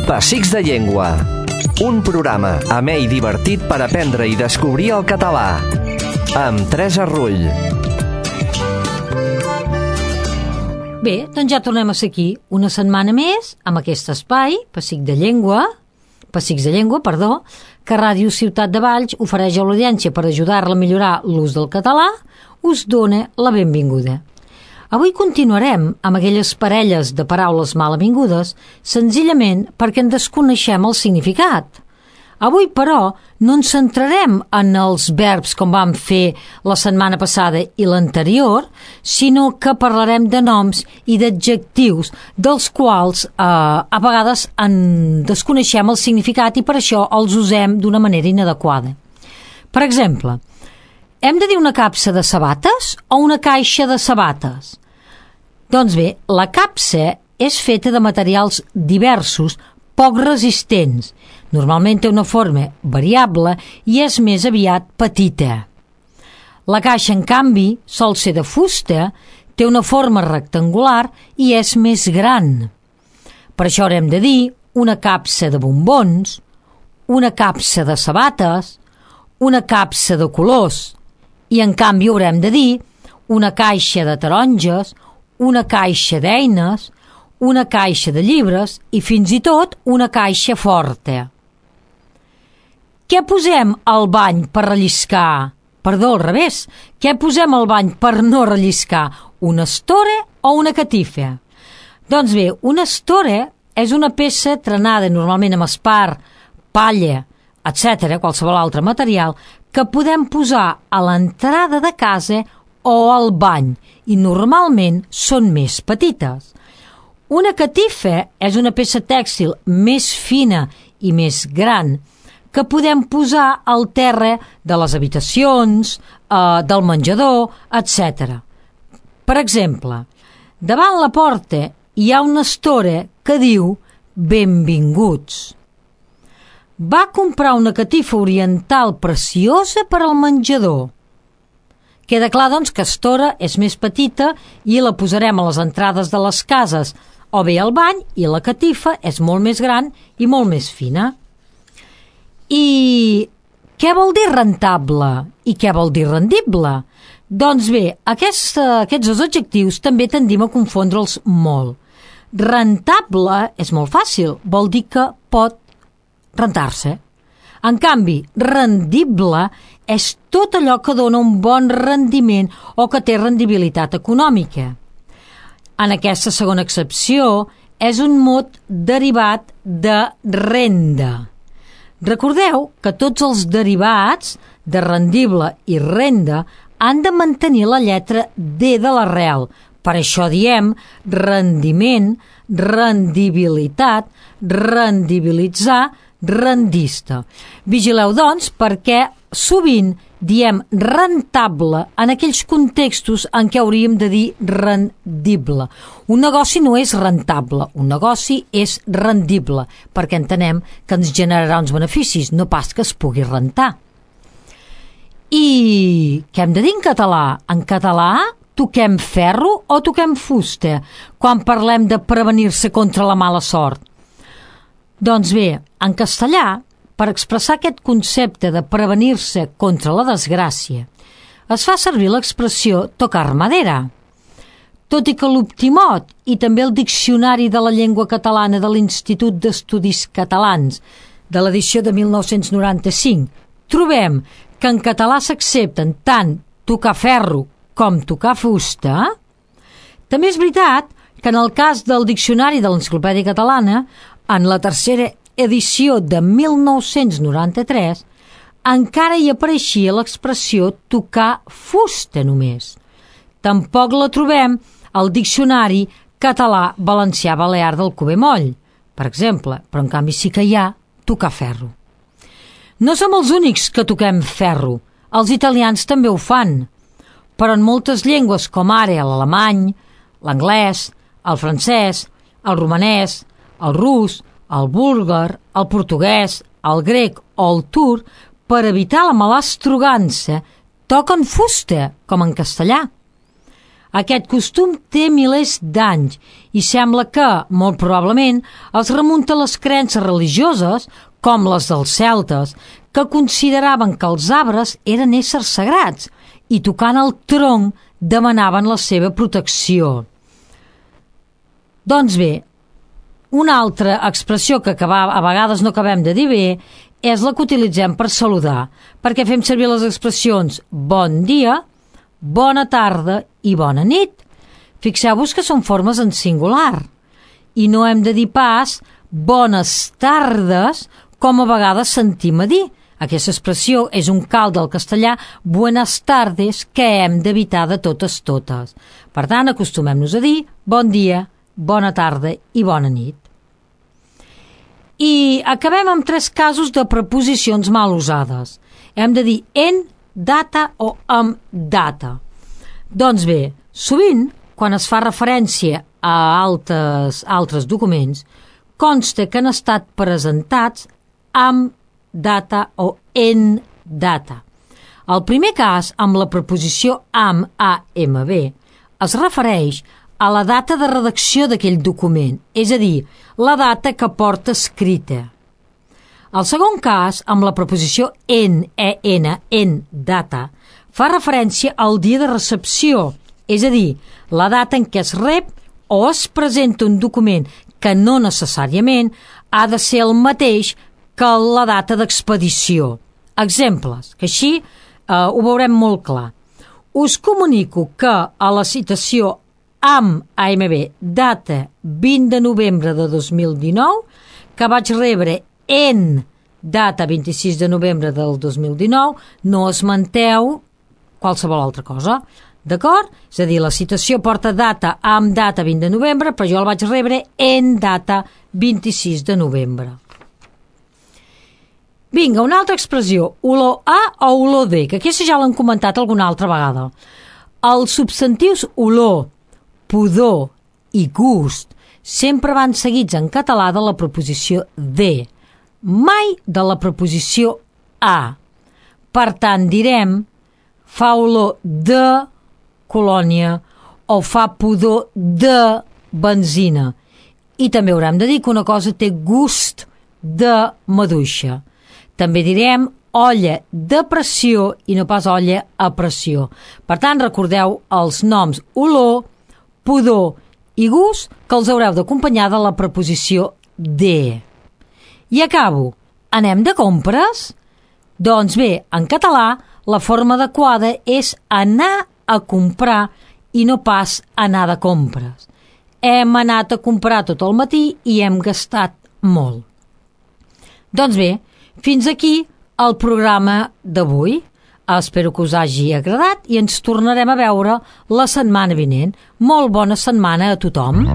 Pessics de Llengua, un programa amè i divertit per aprendre i descobrir el català, amb Teresa Rull. Bé, doncs ja tornem a ser aquí una setmana més amb aquest espai, Pessics de Llengua, que Ràdio Ciutat de Valls ofereix a l'audiència per ajudar-la a millorar l'ús del català, us dona la benvinguda. Avui continuarem amb aquelles parelles de paraules mal avingudes, senzillament perquè en desconeixem el significat. Avui, però, no ens centrarem en els verbs com vam fer la setmana passada i l'anterior, sinó que parlarem de noms i d'adjectius dels quals a vegades en desconeixem el significat i per això els usem d'una manera inadequada. Per exemple, hem de dir una capsa de sabates o una caixa de sabates? Doncs bé, la capsa és feta de materials diversos, poc resistents. Normalment té una forma variable i és més aviat petita. La caixa, en canvi, sol ser de fusta, té una forma rectangular i és més gran. Per això haurem de dir una capsa de bombons, una capsa de sabates, una capsa de colors, i en canvi haurem de dir una caixa de taronges, una caixa d'eines, una caixa de llibres i fins i tot una caixa forta. Què posem al bany per relliscar? Perdó, al revés. Què posem al bany per no relliscar? Una estora o una catifa? Doncs bé, una estora és una peça trenada normalment amb espart, palla, etc., qualsevol altre material, que podem posar a l'entrada de casa o al bany, i normalment són més petites. Una catifa és una peça tèxtil més fina i més gran que podem posar al terra de les habitacions, del menjador, etc. Per exemple, davant la porta hi ha una estora que diu benvinguts. Va comprar una catifa oriental preciosa per al menjador. Queda clar, doncs, que estora és més petita i la posarem a les entrades de les cases o bé al bany, i la catifa és molt més gran i molt més fina. I què vol dir rentable i què vol dir rendible? Doncs bé, aquests dos adjectius també tendim a confondre'ls molt. Rentable és molt fàcil, vol dir que pot rentar-se. En canvi, rendible és tot allò que dona un bon rendiment o que té rendibilitat econòmica. En aquesta segona accepció és un mot derivat de renda. Recordeu que tots els derivats de rendible i renda han de mantenir la lletra D de l'arrel. Per això diem rendiment, rendibilitat, rendibilitzar, rendista. Vigileu, doncs, perquè sovint diem rentable en aquells contextos en què hauríem de dir rendible. Un negoci no és rentable, un negoci és rendible, perquè entenem que ens generarà uns beneficis, no pas que es pugui rentar. I què hem de dir en català? En català toquem ferro o toquem fusta quan parlem de prevenir-se contra la mala sort? Doncs bé, en castellà, per expressar aquest concepte de prevenir-se contra la desgràcia, es fa servir l'expressió tocar madera. Tot i que l'Optimot i també el Diccionari de la Llengua Catalana de l'Institut d'Estudis Catalans de l'edició de 1995 trobem que en català s'accepten tant tocar ferro com tocar fusta, també és veritat que en el cas del Diccionari de l'Enciclopèdia Catalana, en la tercera edició de 1993, encara hi apareixia l'expressió tocar fusta només. Tampoc la trobem al Diccionari Català-Valencià-Balear del Cuber Moll, per exemple, però en canvi sí que hi ha tocar ferro. No som els únics que toquem ferro, els italians també ho fan, però en moltes llengües com ara l'alemany, l'anglès, el francès, el romanès, el rus, el búlgar, el portuguès, el grec o el turc, per evitar la malastrogança, toquen fusta, com en castellà. Aquest costum té milers d'anys i sembla que, molt probablement, es remunta a les creences religioses, com les dels celtes, que consideraven que els arbres eren éssers sagrats i tocant el tronc demanaven la seva protecció. Doncs bé, una altra expressió que a vegades no acabem de dir bé és la que utilitzem per saludar, perquè fem servir les expressions bon dia, bona tarda i bona nit. Fixeu-vos que són formes en singular i no hem de dir pas bones tardes com a vegades sentim a dir. Aquesta expressió és un calt del castellà buenas tardes que hem d'evitar de totes. Per tant, acostumem-nos a dir bon dia, bona tarda i bona nit. I acabem amb 3 casos de preposicions mal usades. Hem de dir en data o amb data. Doncs bé, sovint, quan es fa referència a altres documents, consta que han estat presentats amb data o en data. El primer cas, amb la preposició amb, es refereix a la data de redacció d'aquell document, és a dir, la data que porta escrita. El segon cas, amb la preposició en data, fa referència al dia de recepció, és a dir, la data en què es rep o es presenta un document que no necessàriament ha de ser el mateix que la data d'expedició. Exemples, que així ho veurem molt clar. Us comunico que a la citació amb data 20 de novembre de 2019, que vaig rebre en data 26 de novembre del 2019, no esmenteu qualsevol altra cosa. D'acord? És a dir, la citació porta data amb data 20 de novembre, però jo el vaig rebre en data 26 de novembre. Vinga, una altra expressió, olor a o olor de, que aquesta ja l'han comentat alguna altra vegada. Els substantius olor, pudor i gust sempre van seguits en català de la preposició de, mai de la preposició a. Per tant, direm fa olor de colònia o fa pudor de benzina. I també haurem de dir que una cosa té gust de maduixa. També direm olla de pressió i no pas olla a pressió. Per tant, recordeu els noms olor, pudor i gust que els haureu d'acompanyar de la preposició de. I acabo. Anem de compres? Doncs bé, en català la forma adequada és anar a comprar i no pas anar de compres. Hem anat a comprar tot el matí i hem gastat molt. Doncs bé, fins aquí el programa d'avui. Espero que us hagi agradat i ens tornarem a veure la setmana vinent. Molt bona setmana a tothom.